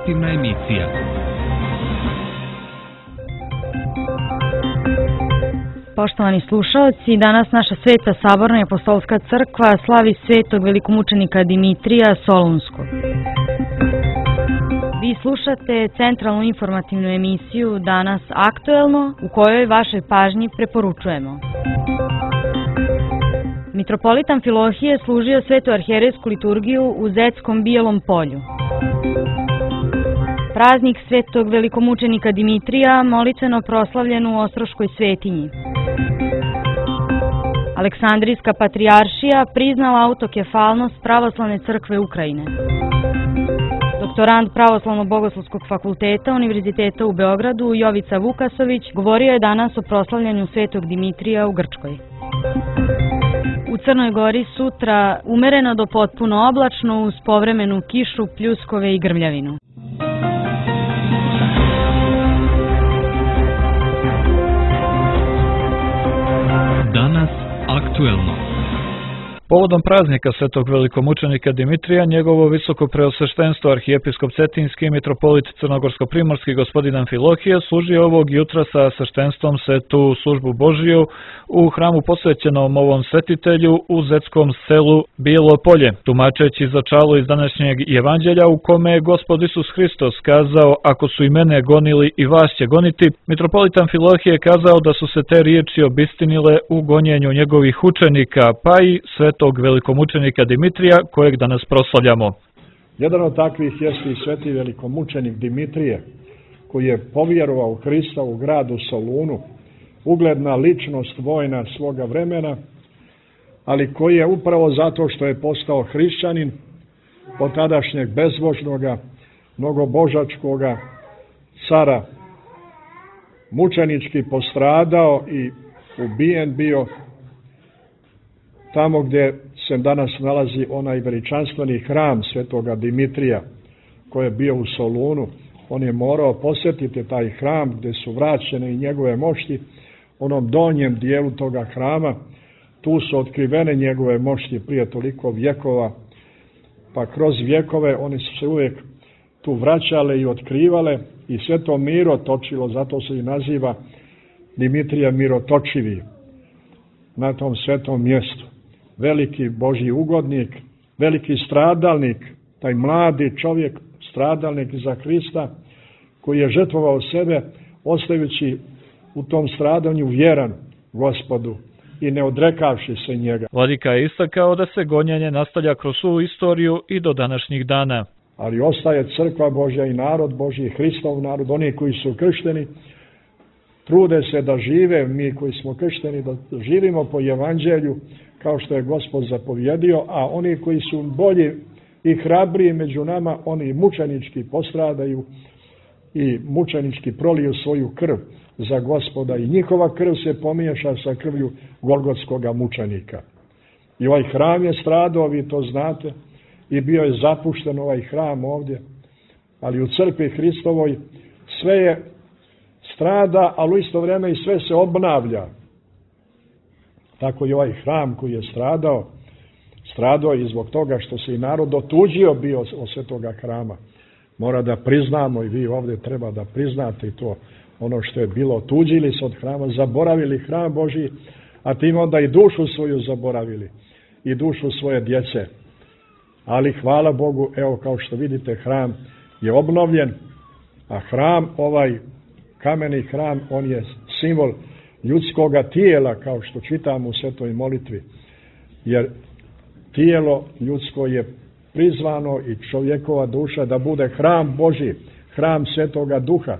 informativna emisija. Poštovani slušaoci, danas naša Sveta Saborna i Apostolska crkva slavi svetog velikomučenika Dimitrija Solunskog. Vi slušate centralnu informativnu emisiju Danas aktuelno, u kojoj vašoj pažnji preporučujemo. Mitropolit Amfilohije služio svetu arhijerejsku liturgiju u Zetskom Bijelom polju. Praznik svetog velikomučenika Dimitrija molitveno proslavljen u Ostroškoj svetinji. Aleksandrijska patrijaršija priznala autokefalnost Pravoslavne crkve Ukrajine. Doktorant Pravoslavno-bogoslovskog fakulteta Univerziteta u Beogradu Jovica Vukasović govorio je danas o proslavljanju svetog Dimitrija u Grčkoj. U Crnoj Gori sutra umereno do potpuno oblačno uz povremenu kišu, pljuskove i grmljavinu. Danas aktuelno. Povodom praznika svetog velikomučenika Dimitrija, njegovo visoko preosveštenstvo arhijepiskop Cetinski mitropolit Crnogorsko-primorski gospodin Amfilohije služio ovog jutra sa sveštenstvom svetu službu Božiju u hramu posvećenom ovom svetitelju u Zetskom selu Bijelo polje, tumačeći začalo iz današnjeg evanđelja u kome je Gospod Isus Hristos kazao: ako su i mene gonili, i vas će goniti. Mitropolit Amfilohije kazao da su se te riječi obistinile u gonjenju njegovih učenika, pa i svetog velikomučenika Dimitrija, kojeg danas proslavljamo. Jedan od takvih jeste i sveti velikomučenik Dimitrije, koji je povjerovao u Hrista u gradu Solunu, ugledna ličnost vojna svoga vremena, ali koji je upravo zato što je postao hrišćanin od tadašnjeg bezbožnoga, mnogobožačkoga cara, mučenički postradao i ubijen bio tamo gdje se danas nalazi onaj veličanstveni hram svetoga Dimitrija koji je bio u Solunu. On je morao posjetiti taj hram gdje su vraćene i njegove mošti. Onom donjem dijelu toga hrama, tu su otkrivene njegove mošti prije toliko vjekova, pa kroz vjekove oni su se uvijek tu vraćale i otkrivale i sve to miro točilo, zato se i naziva Dimitrija mirotočivi na tom svetom mjestu. Veliki Božji ugodnik, veliki stradalnik, taj mladi čovjek, stradalnik za Hrista, koji je žrtvovao sebe, ostajući u tom stradanju vjeran Gospodu i ne odrekavši se njega. Vladika je istakao da se gonjenje nastavlja kroz svu istoriju i do današnjih dana. Ali ostaje crkva Božja i narod Božji, Hristov narod, oni koji su kršteni, trude se da žive, mi koji smo kršteni, da živimo po evanđelju, kao što je Gospod zapovjedio, a oni koji su bolji i hrabriji među nama, oni mučenički postradaju i mučenički proliju svoju krv za Gospoda i njihova krv se pomiješa sa krvlju golgotskoga mučenika. I ovaj hram je stradao, vi to znate, i bio je zapušten ovaj hram ovdje, ali u crkvi Hristovoj sve je strada, ali u isto vrijeme i sve se obnavlja. Tako i ovaj hram koji je stradao i zbog toga što se i narod otuđio bio od svetoga hrama. Mora da priznamo, i vi ovdje treba da priznate to, ono što je bilo, otuđili se od hrama, zaboravili hram Božji, a tim onda i dušu svoju zaboravili i dušu svoje djece. Ali hvala Bogu, evo kao što vidite, hram je obnovljen, a hram, ovaj kameni hram, on je simbol ljudskoga tijela, kao što čitamo u svetoj molitvi, jer tijelo ljudsko je prizvano i čovjekova duša da bude hram Božji, hram svetoga duha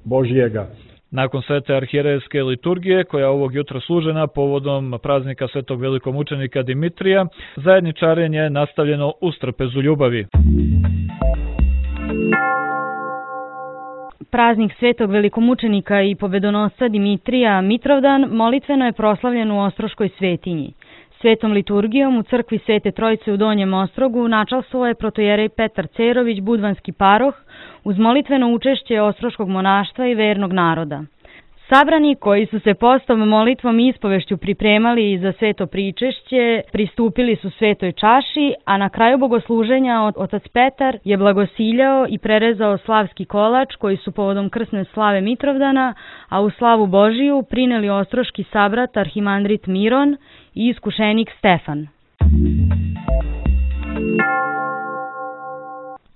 Božjega. Nakon svete arhijerejske liturgije, koja ovog jutra služena povodom praznika svetog velikomučenika Dimitrija, zajedničarenje je nastavljeno u strpezu ljubavi. Praznik svetog velikomučenika i pobedonosca Dimitrija Mitrovdan molitveno je proslavljen u Ostroškoj svetinji. Svetom liturgijom u crkvi Svete Trojice u Donjem Ostrogu načalstvovao je protojerej Petar Cerović, budvanski paroh, uz molitveno učešće ostroškog monaštva i vernog naroda. Sabrani koji su se postom, molitvom i ispovešću pripremali za sveto pričešće, pristupili su svetoj čaši, a na kraju bogosluženja otac Petar je blagosiljao i prerezao slavski kolač koji su povodom krsne slave Mitrovdana, a u slavu Božiju prineli ostroški sabrat arhimandrit Miron i iskušenik Stefan.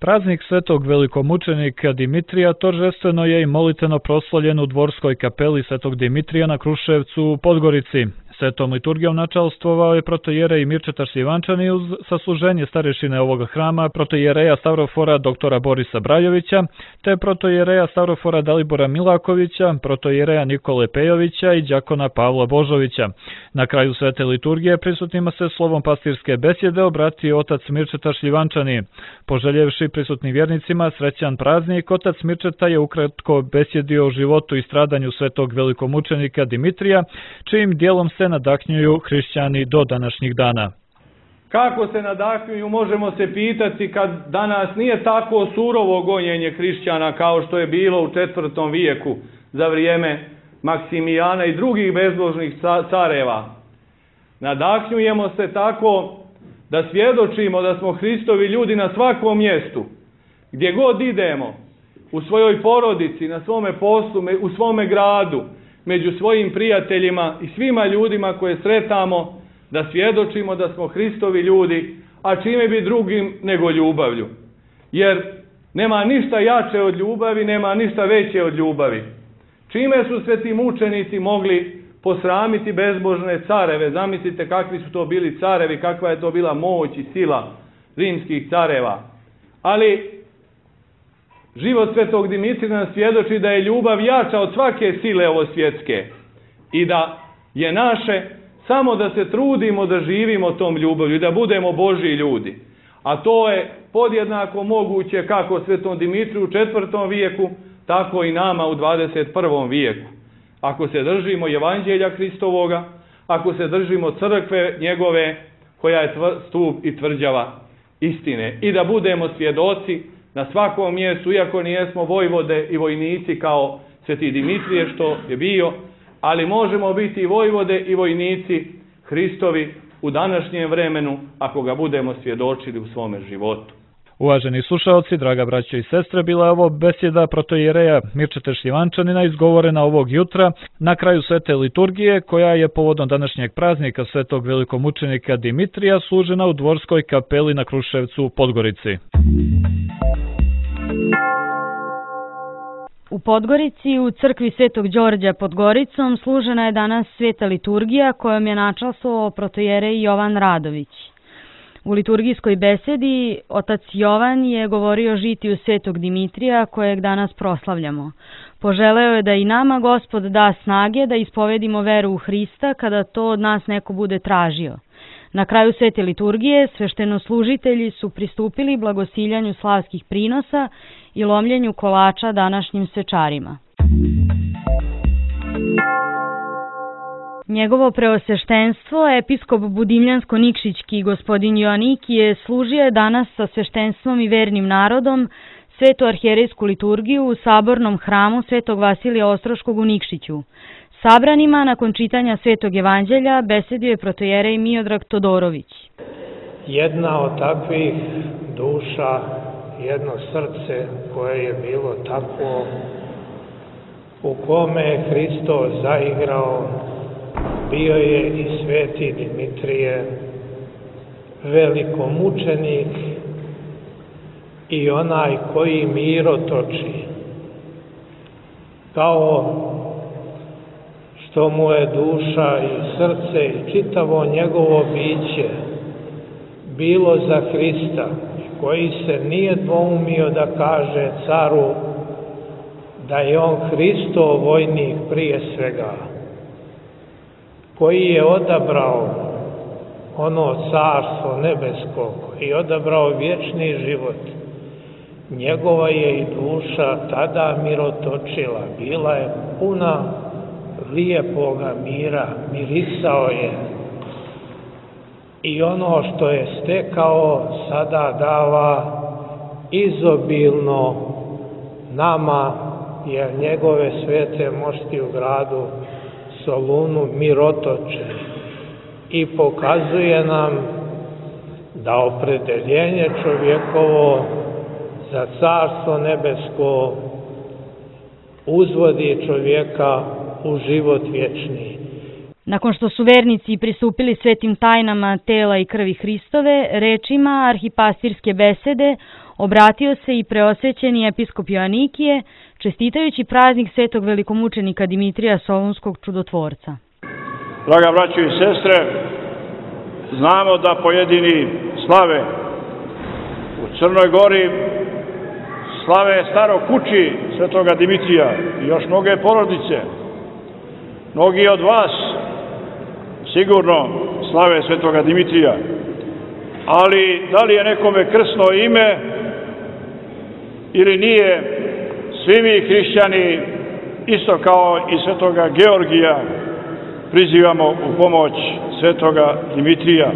Praznik svetog velikomučenika Dimitrija торжествено je i molitveno proslavljen u dvorskoj kapeli svetog Dimitrija na Kruševcu u Podgorici. Svetom liturgijom načalstvovao je protojerej Mirčeta Šljivančani uz sasluženje starešine ovoga hrama, protojereja Stavrofora doktora Borisa Brajovića, te protojereja Stavrofora Dalibora Milakovića, protojereja Nikole Pejovića i đakona Pavla Božovića. Na kraju svete liturgije prisutnima se slovom pastirske besjede obratio otac Mirčeta Šljivančani. Poželjevši prisutnim vjernicima srećan praznik, otac Mirčeta je ukratko besjedio o životu i stradanju svetog velikomučenika Dimitrija, čijim dijelom se nadahnjuju hrišćani do današnjih dana. Kako se nadahnjuju, možemo se pitati kad danas nije tako surovo gonjenje hrišćana kao što je bilo u 4. vijeku za vrijeme Maksimijana i drugih bezbožnih careva. Nadahnjujemo se tako da svjedočimo da smo Hristovi ljudi na svakom mjestu, gdje god idemo, u svojoj porodici, na svome poslu, u svome gradu, među svojim prijateljima i svima ljudima koje sretamo, da svjedočimo da smo Hristovi ljudi, a čime bi drugim nego ljubavlju. Jer nema ništa jače od ljubavi, nema ništa veće od ljubavi. Čime su sveti mučenici mogli posramiti bezbožne careve? Zamislite kakvi su to bili carevi, kakva je to bila moć i sila rimskih careva. Ali život svetog Dimitrija nam svjedoči da je ljubav jača od svake sile ovosvjetske i da je naše samo da se trudimo da živimo tom ljubavlju i da budemo Božji ljudi. A to je podjednako moguće kako svetom Dimitriju u 4. vijeku, tako i nama u 21. vijeku. Ako se držimo Evanđelja Hristovoga, ako se držimo crkve njegove koja je stup i tvrđava istine i da budemo svjedoci na svakom mjestu, iako nijesmo vojvode i vojnici kao sveti Dimitrije što je bio, ali možemo biti i vojvode i vojnici Hristovi u današnjem vremenu ako ga budemo svjedočili u svome životu. Uvaženi slušalci, draga braćo i sestre, bila je ovo besjeda protojereja Mirčeta Šljivančanina izgovorena ovog jutra na kraju svete liturgije, koja je povodom današnjeg praznika svetog velikomučenika Dimitrija služena u dvorskoj kapeli na Kruševcu u Podgorici. U Podgorici, u crkvi Svetog Đorđa pod Goricom, služena je danas sveta liturgija kojom je načalstvovao protojerej Jovan Radović. U liturgijskoj besedi otac Jovan je govorio o žitiju svetog Dimitrija kojeg danas proslavljamo. Poželeo je da i nama Gospod da snage da ispovedimo veru u Hrista kada to od nas neko bude tražio. Na kraju svete liturgije sveštenoslužitelji su pristupili blagosiljanju slavskih prinosa i lomljenju kolača današnjim svečarima. Njegovo preosveštenstvo, episkop Budimljansko-Nikšićki gospodin Joanikije, služio je danas sa sveštenstvom i vernim narodom svetu arhijerejsku liturgiju u sabornom hramu Svetog Vasilija Ostroškog u Nikšiću. Sabranima, nakon čitanja Svetog Evanđelja, besedio je protojerej Miodrag Todorović. Jedna od takvih duša, jedno srce koje je bilo takvo, u kome je Hristos zaigrao, bio je i sveti Dimitrije, velikomučenik i onaj koji mirotoči. Kao što mu je duša i srce i čitavo njegovo biće bilo za Hrista, koji se nije dvoumio da kaže caru da je on Hristov vojnik prije svega, koji je odabrao ono carstvo nebesko i odabrao vječni život. Njegova je i duša tada mirotočila, bila je puna lijepoga mira, mirisao je. I ono što je stekao sada dava izobilno nama jer njegove svete mošti u gradu Solunu mirotoče i pokazuje nam da opredeljenje čovjekovo za carstvo nebesko uzvodi čovjeka u život vječni. Nakon što su vernici pristupili svetim tajnama tela i krvi Hristove, rečima arhipastirske besede obratio se i preosvećeni episkop Joanikije, čestitajući praznik svetog velikomučenika Dimitrija Solunskog čudotvorca. Draga braćo i sestre, znamo da pojedini slave u Crnoj Gori, slave staro kući svetoga Dimitrija i još mnoge porodice. Mnogi od vas sigurno slave svetoga Dimitrija, ali da li je nekome krsno ime ili nije, svi mi hrišćani, isto kao i svetoga Georgija, prizivamo u pomoć svetoga Dimitrija.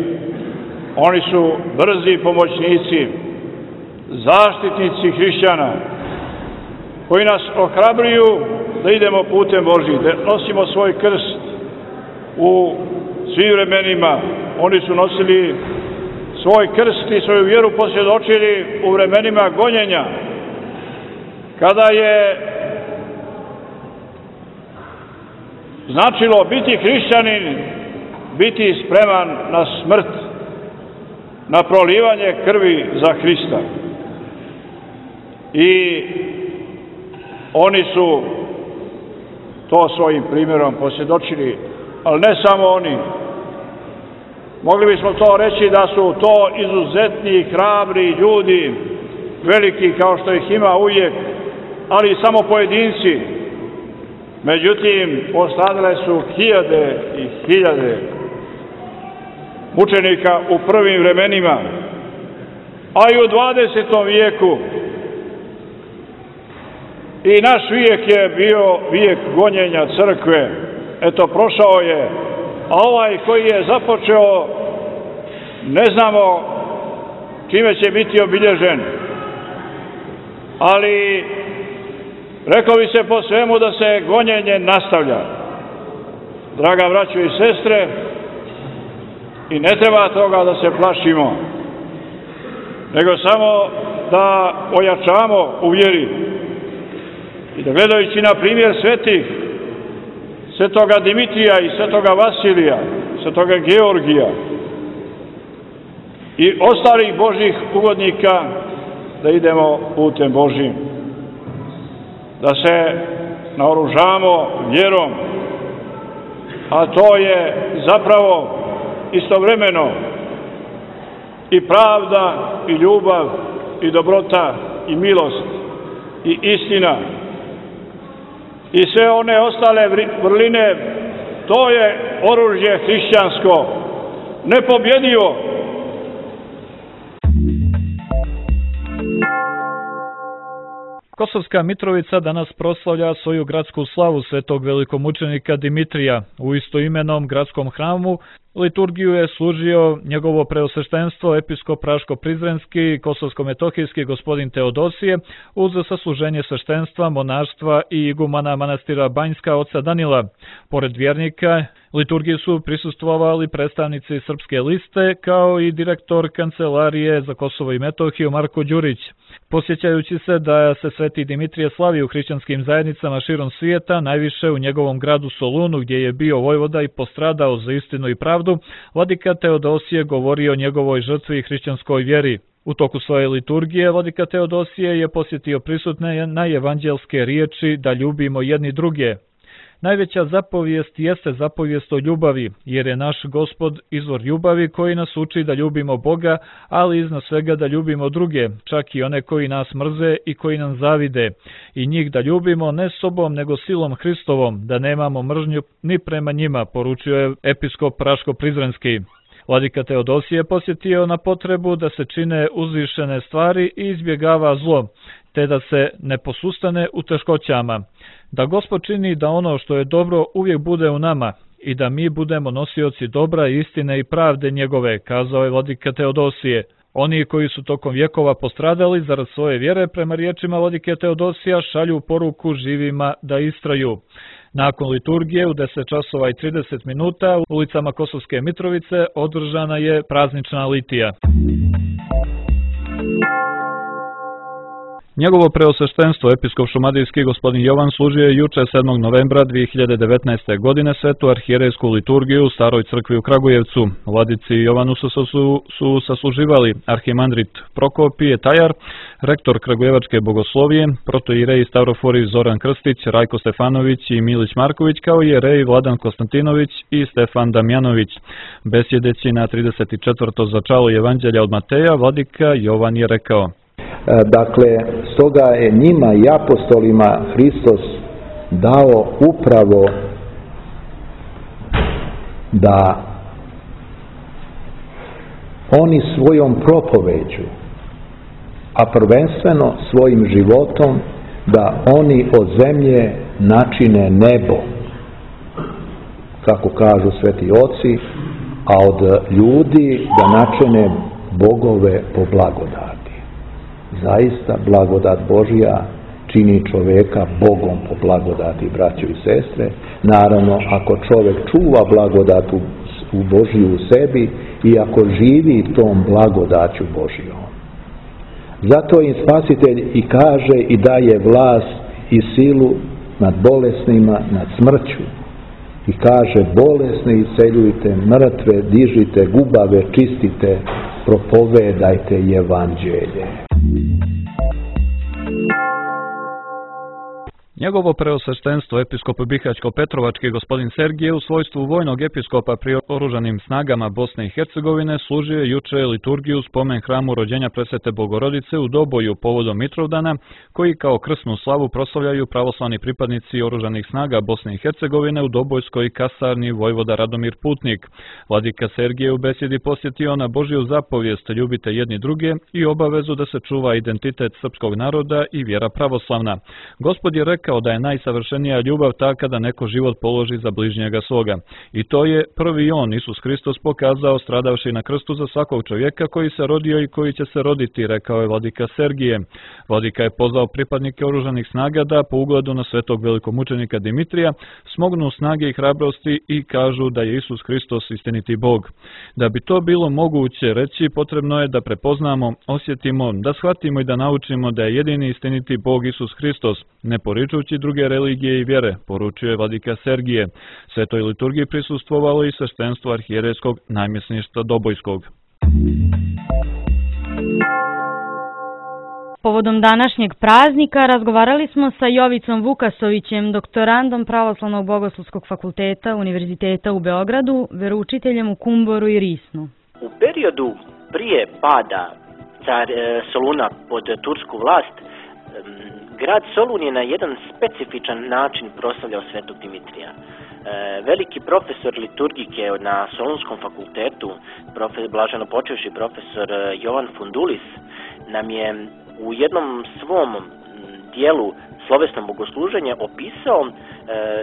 Oni su brzi pomoćnici, zaštitnici hrišćana, koji nas ohrabruju da idemo putem Božjim, da nosimo svoj krst u svim vremenima. Oni su nosili svoj krst i svoju vjeru posvjedočili u vremenima gonjenja, kada je značilo biti hrišćanin, biti spreman na smrt, na prolivanje krvi za Hrista. I oni su to svojim primjerom posvjedočili, ali ne samo oni. Mogli bismo to reći da su to izuzetni, hrabri ljudi, veliki kao što ih ima uvijek, ali i samo pojedinci. Međutim, postradale su hiljade i hiljade mučenika u prvim vremenima, a i u 20. vijeku. I naš vijek je bio vijek gonjenja crkve. Eto, prošao je, a ovaj koji je započeo, ne znamo čime će biti obilježen. Ali reklo bi se po svemu da se gonjenje nastavlja. Draga braćo i sestre, i ne treba toga da se plašimo, nego samo da ojačamo u vjeri i da gledajući na primjer svetih, svetoga Dimitrija i svetoga Vasilija, svetoga Georgija i ostalih Božjih ugodnika, da idemo putem Božjim, da se naoružamo vjerom, a to je zapravo istovremeno i pravda, i ljubav, i dobrota, i milost, i istina, i sve one ostale vrline. To je oružje hrišćansko, nepobjedivo. Kosovska Mitrovica danas proslavlja svoju gradsku slavu svetog velikomučenika Dimitrija. U istoimenom gradskom hramu liturgiju je služio njegovo preosveštenstvo episkop Raško-Prizrenski, Kosovsko-Metohijski gospodin Teodosije, uz sasluženje sveštenstva, monaštva i igumana manastira Banjska oca Danila. Pored vjernika, liturgiji su prisustvovali predstavnici Srpske liste, kao i direktor Kancelarije za Kosovo i Metohiju Marko Đurić. Posjećajući se da se sveti Dimitrije slavi u hrišćanskim zajednicama širom svijeta, najviše u njegovom gradu Solunu, gdje je bio vojvoda i postradao za istinu i pravdu, vladika Teodosije govori o njegovoj žrtvi i hrišćanskoj vjeri. U toku svoje liturgije vladika Teodosije je posjetio prisutne na evanđelske riječi da ljubimo jedni druge. Najveća zapovijest jeste zapovijest o ljubavi, jer je naš Gospod izvor ljubavi koji nas uči da ljubimo Boga, ali iznad svega da ljubimo druge, čak i one koji nas mrze i koji nam zavide, i njih da ljubimo ne sobom nego silom Hristovom, da nemamo mržnju ni prema njima, poručio je episkop Raško-Prizrenski. Vladika Teodosije posjetio na potrebu da se čine uzvišene stvari i izbjegava zlo, te da se ne posustane u teškoćama. Da Gospod čini da ono što je dobro uvijek bude u nama i da mi budemo nosioci dobra, istine i pravde njegove, kazao je vladika Teodosije. Oni koji su tokom vjekova postradali zarad svoje vjere, prema riječima vladike Teodosija, šalju poruku živima da istraju. Nakon liturgije u 10 časova i 30 minuta u ulicama Kosovske Mitrovice održana je praznična litija. Njegovo preosveštenstvo, episkop šumadijski gospodin Jovan, služio je juče 7. novembra 2019. godine svetu arhijerejsku liturgiju u Staroj crkvi u Kragujevcu. Vladici Jovanu su sasluživali arhimandrit Prokopije Tajar, rektor Kragujevačke bogoslovije, protoijerej Stavroforij Zoran Krstić, Rajko Stefanović i Milić Marković, kao i jerej Vladan Konstantinović i Stefan Damjanović. Besjedeći na 34. začalo Evanđelja od Mateja, vladika Jovan je rekao: Dakle, stoga je njima i apostolima Hristos dao upravo da oni svojom propoveđu, a prvenstveno svojim životom, da oni od zemlje načine nebo, kako kažu sveti oci, a od ljudi da načine bogove po blagodati. Zaista, blagodat Božja čini čovjeka Bogom po blagodati, braćo i sestre. Naravno, ako čovjek čuva blagodat u Božju u sebi i ako živi tom blagodaću Božjom. Zato im Spasitelj i kaže i daje vlast i silu nad bolesnima, nad smrću. I kaže: bolesne isceljujte, mrtve dižite, gubave čistite, propovedajte evanđelje. Njegovo preosveštenstvo, episkop Bihaćko-Petrovački gospodin Sergije, u svojstvu vojnog episkopa pri oružanim snagama Bosne i Hercegovine, služio je juče liturgiju spomen hramu rođenja Presvete Bogorodice u Doboju povodom Mitrovdana, koji kao krsnu slavu proslavljaju pravoslavni pripadnici oružanih snaga Bosne i Hercegovine u Dobojskoj kasarni vojvoda Radomir Putnik. Vladika Sergije u besjedi posjetio na Božju zapovijest: ljubite jedni druge, i obavezu da se čuva identitet srpskog naroda i vjera pravoslavna. Gospod je rekao da je najsavršenija ljubav ta kada neko život položi za bližnjega svoga. I to je prvi on, Isus Hristos, pokazao stradavši na krstu za svakog čovjeka koji se rodio i koji će se roditi, rekao je vladika Sergije. Vladika je pozvao pripadnike oružanih snaga da, po ugledu na svetog velikomučenika Dimitrija, smognu snage i hrabrosti i kažu da je Isus Hristos istiniti Bog. Da bi to bilo moguće reći, potrebno je da prepoznamo, osjetimo, da shvatimo i da naučimo da je jedini istiniti Bog Isus Hristos, ne poričući druge religije i vjere, poručuje vladika Sergije. Svetoj liturgiji prisustvovalo i sveštenstvo arhijerejskog namjesništva Dobojskog. Povodom današnjeg praznika razgovarali smo sa Jovicom Vukasovićem, doktorandom Pravoslavnog bogoslovskog fakulteta Univerziteta u Beogradu, veroučiteljem u Kumboru i Risnu. U periodu prije pada Soluna pod tursku vlast, grad Solun je na jedan specifičan način proslavljao svetog Dimitrija. Veliki profesor liturgike na Solunskom fakultetu, blaženo počevši profesor Jovan Fundulis, nam je u jednom svom dijelu slovesnom bogosluženja opisao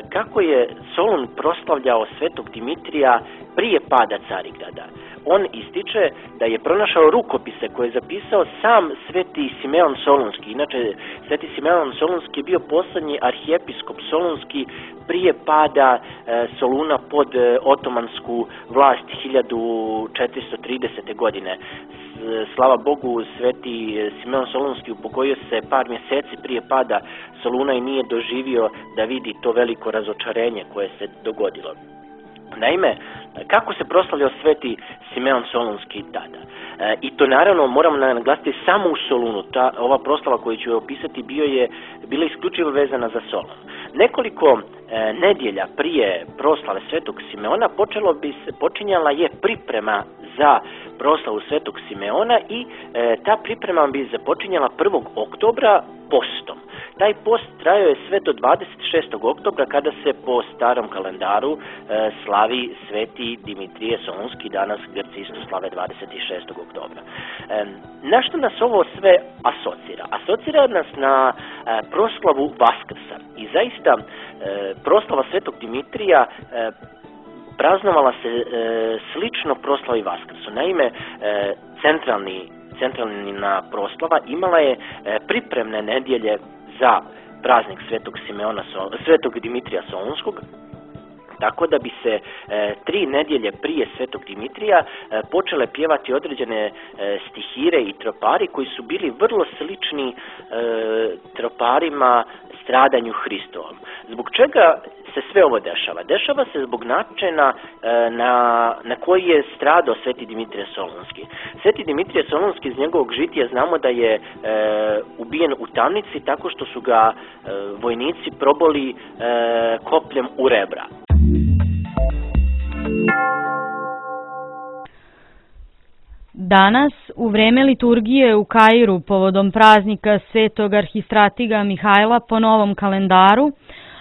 kako je Solun proslavljao svetog Dimitrija prije pada Carigrada. On ističe da je pronašao rukopise koje je zapisao sam sveti Simeon Solunski. Inače, sveti Simeon Solunski je bio posljednji arhijepiskop Solunski prije pada Soluna pod otomansku vlast 1430. godine. Slava Bogu, sveti Simeon Solunski upokojio se par mjeseci prije pada Soluna i nije doživio da vidi to veliko razočarenje koje se dogodilo. Naime, kako se proslavljao sveti Simeon Solunski tada? I to naravno moramo naglasiti samo u Solunu. Ova proslava koju ću opisati bila isključivo vezana za Solun. Nekoliko nedjelja prije proslave svetog Simeona počinjala je priprema za proslavu svetog Simeona i ta priprema bi započinjala 1. oktobra postom. Taj post trajao je sve do 26. oktobra kada se po starom kalendaru slavi sveti Dimitrije Solunski, danas Grci isto slave 26. oktobra. Na što nas ovo sve asocira? Asocira nas na proslavu Vaskrsa. I zaista proslava svetog Dimitrija praznovala se slično proslavi Vaskrsu. Naime, centralni centralna proslava imala je pripremne nedjelje za praznik Svetog Dimitrija Solunskog, tako da bi se 3 nedjelje prije Svetog Dimitrija počele pjevati određene stihire i tropari koji su bili vrlo slični troparima stradanju Hristovom. Zbog čega se sve ovo dešava? Dešava se zbog načina na koji je stradao Sveti Dimitrije Solunski. Sveti Dimitrije Solunski iz njegovog žitija znamo da je ubijen u tamnici tako što su ga vojnici proboli kopljem u rebra. Danas, u vreme liturgije u Kairu povodom praznika Svetog arhistratiga Mihajla po novom kalendaru,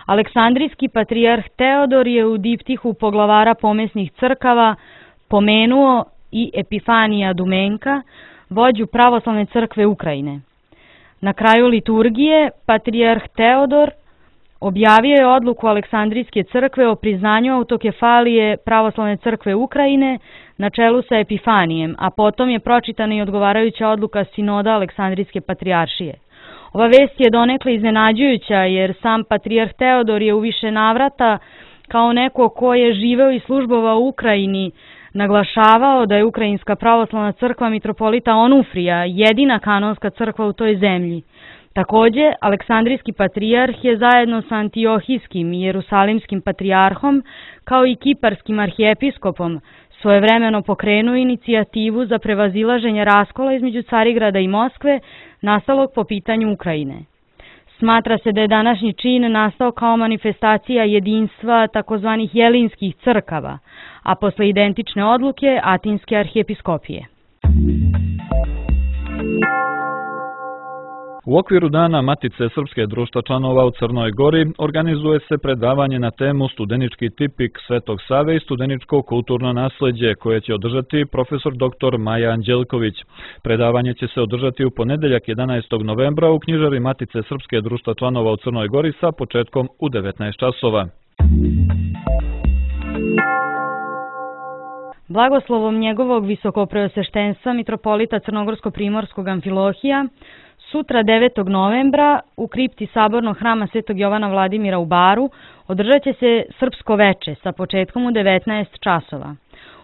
Aleksandrijski patrijarh Teodor je u diptihu poglavara pomesnih crkava pomenuo i Epifanija Dumenka, vođu pravoslavne crkve Ukrajine. Na kraju liturgije, patrijarh Teodor objavio je odluku Aleksandrijske crkve o priznanju autokefalije pravoslavne crkve Ukrajine na čelu sa Epifanijem, a potom je pročitana i odgovarajuća odluka sinoda Aleksandrijske patrijaršije. Ova vest je donekle iznenađujuća jer sam patrijarh Teodor je u više navrata kao neko ko je živeo i službovao u Ukrajini naglašavao da je Ukrajinska pravoslavna crkva mitropolita Onufrija jedina kanonska crkva u toj zemlji. Takođe, Aleksandrijski patrijarh je zajedno sa Antiohijskim i Jerusalimskim patrijarhom kao i Kiparskim arhijepiskopom svojevremeno pokrenuo inicijativu za prevazilaženje raskola između Carigrada i Moskve nastalog po pitanju Ukrajine. Smatra se da je današnji čin nastao kao manifestacija jedinstva takozvanih jelinskih crkava, a posle identične odluke Atinske arhijepiskopije. U okviru Dana Matice Srpske društva članova u Crnoj Gori organizuje se predavanje na temu Studenički tipik Svetog Save i studeničko kulturno nasleđe koje će održati profesor dr. Maja Anđelković. Predavanje će se održati u ponedeljak 11. novembra u knjižari Matice Srpske društva članova u Crnoj Gori sa početkom u 19 časova. Blagoslovom njegovog visokopreosveštenstva mitropolita Crnogorsko-primorskog Amfilohija sutra 9. novembra u kripti Sabornog hrama Svetog Jovana Vladimira u Baru održat će se Srpsko veče sa početkom u 19 časova.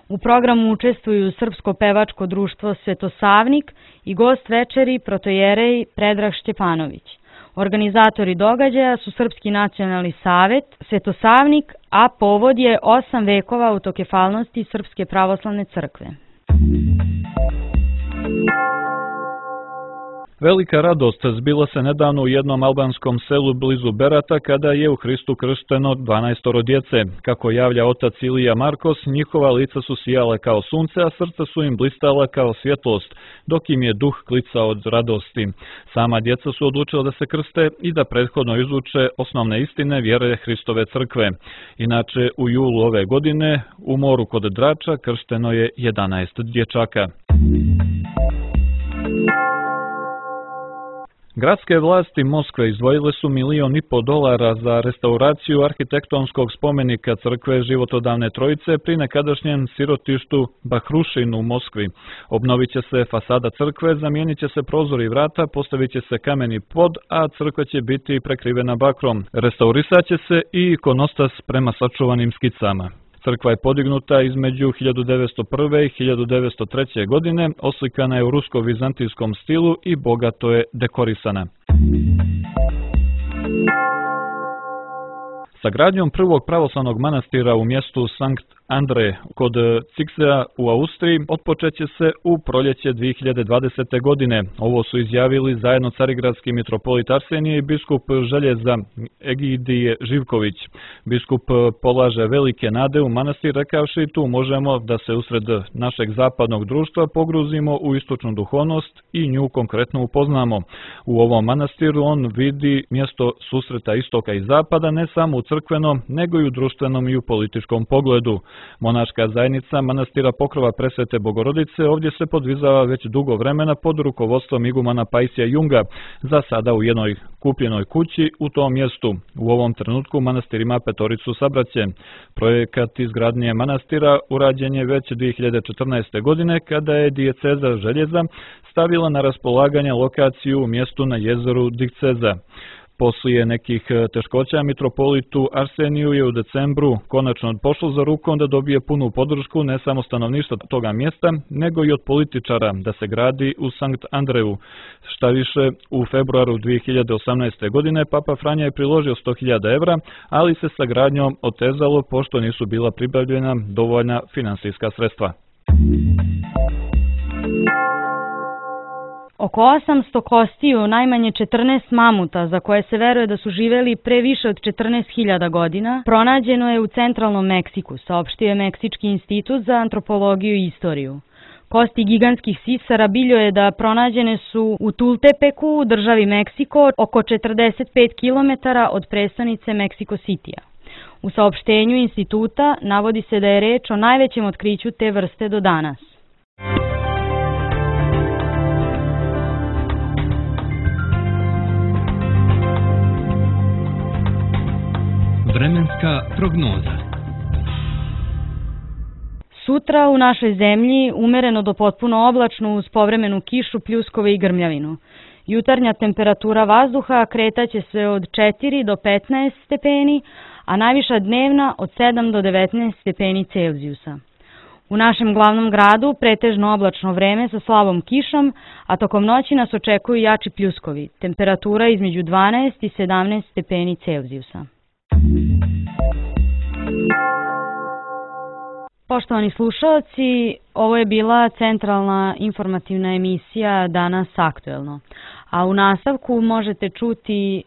U programu učestvuju Srpsko pevačko društvo Svetosavnik i gost večeri protojerej Predrag Šćepanović. Organizatori događaja su Srpski nacionalni savet, Svetosavnik, a povod je 8 vekova autokefalnosti Srpske pravoslavne crkve. Velika radost zbila se nedavno u jednom albanskom selu blizu Berata kada je u Hristu kršteno 12 djece. Kako javlja otac Ilija Markos, njihova lica su sijala kao sunce, a srca su im blistala kao svjetlost, dok im je duh klicao od radosti. Sama djeca su odlučila da se krste i da prethodno izuče osnovne istine vjere Hristove crkve. Inače, u julu ove godine u moru kod Drača kršteno je 11 dječaka. Gradske vlasti Moskve izdvojile su $1,5 miliona za restauraciju arhitektonskog spomenika crkve Životodavne Trojice pri nekadašnjem sirotištu Bahrušin u Moskvi. Obnovit će se fasada crkve, zamijenit će se prozori i vrata, postavit će se kameni pod, a crkva će biti prekrivena bakrom. Restaurisat će se i ikonostas prema sačuvanim skicama. Crkva je podignuta između 1901. i 1903. godine, oslikana je u rusko-vizantijskom stilu i bogato je dekorisana. Sa gradnjom prvog pravoslavnog manastira u mjestu Sankt Andre kod Ciksea u Austriji otpočeće se u proljeće 2020. godine. Ovo su izjavili zajedno carigradski mitropolit Arsenije i biskup Željeza Egidije Živković. Biskup polaže velike nade u manastir rekavši tu možemo da se usred našeg zapadnog društva pogruzimo u istočnu duhovnost i nju konkretno upoznamo. U ovom manastiru on vidi mjesto susreta istoka i zapada ne samo u crkvenom, nego i u društvenom i u političkom pogledu. Monaška zajednica manastira Pokrova Presvete Bogorodice ovdje se podvizava već dugo vremena pod rukovodstvom igumana Pajsija Junga, za sada u jednoj kupljenoj kući u tom mjestu. U ovom trenutku manastir ima 5 sabraće. Projekat izgradnje manastira urađen je već 2014. godine kada je dijeceza Željeza stavila na raspolaganje lokaciju u mjestu na jezeru Dikceza. Poslije nekih teškoća mitropolitu Arseniju je u decembru konačno pošlo za rukom da dobije punu podršku ne samo stanovništva toga mjesta, nego i od političara da se gradi u Sankt Andreju. Šta više, u februaru 2018. godine Papa Franja je priložio 100.000 evra, ali se sa gradnjom otezalo pošto nisu bila pribavljena dovoljna finansijska sredstva. Oko 800 kostiju, najmanje 14 mamuta, za koje se veruje da su živeli pre više od 14.000 godina, pronađeno je u centralnom Meksiku, saopštio je Meksički institut za antropologiju i istoriju. Kosti gigantskih sisara biljo je da pronađene su u Tultepeku, u državi Meksiko, oko 45 km od prestonice Meksiko Citya. U saopštenju instituta navodi se da je reč o najvećem otkriću te vrste do danas. Vremenska prognoza. Sutra u našoj zemlji umereno do potpuno oblačno uz povremenu kišu, pljuskove i grmljavinu. Jutarnja temperatura vazduha kretaće se od 4 do 15 stepeni, a najviša dnevna od 7 do 19 stepeni Celzijusa. U našem glavnom gradu pretežno oblačno vreme sa slabom kišom, a tokom noći nas očekuju jači pljuskovi. Temperatura između 12 i 17 stepeni Celzijusa. Poštovani slušalci, ovo je bila centralna informativna emisija Danas aktuelno, a u nastavku možete čuti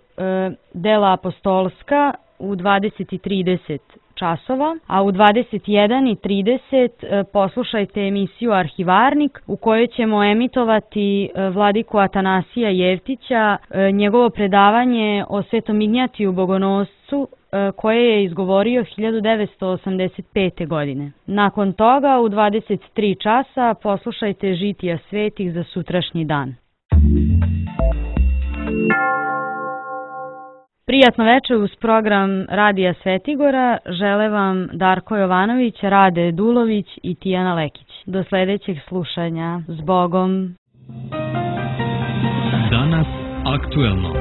dela apostolska u 20:30 časova, a u 21:30 poslušajte emisiju Arhivarnik u kojoj ćemo emitovati vladiku Atanasija Jevtića, njegovo predavanje o Svetom Ignjatiju Bogonoscu koje je izgovorio 1985. godine. Nakon toga u 23 časa poslušajte žitija svetih za sutrašnji dan. Prijatno večer uz program Radija Svetigora žele vam Darko Jovanović, Rade Dulović i Tijana Lekić. Do sljedećeg slušanja. S Bogom! Danas aktuelno.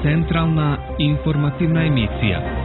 Centralna informativna emisija.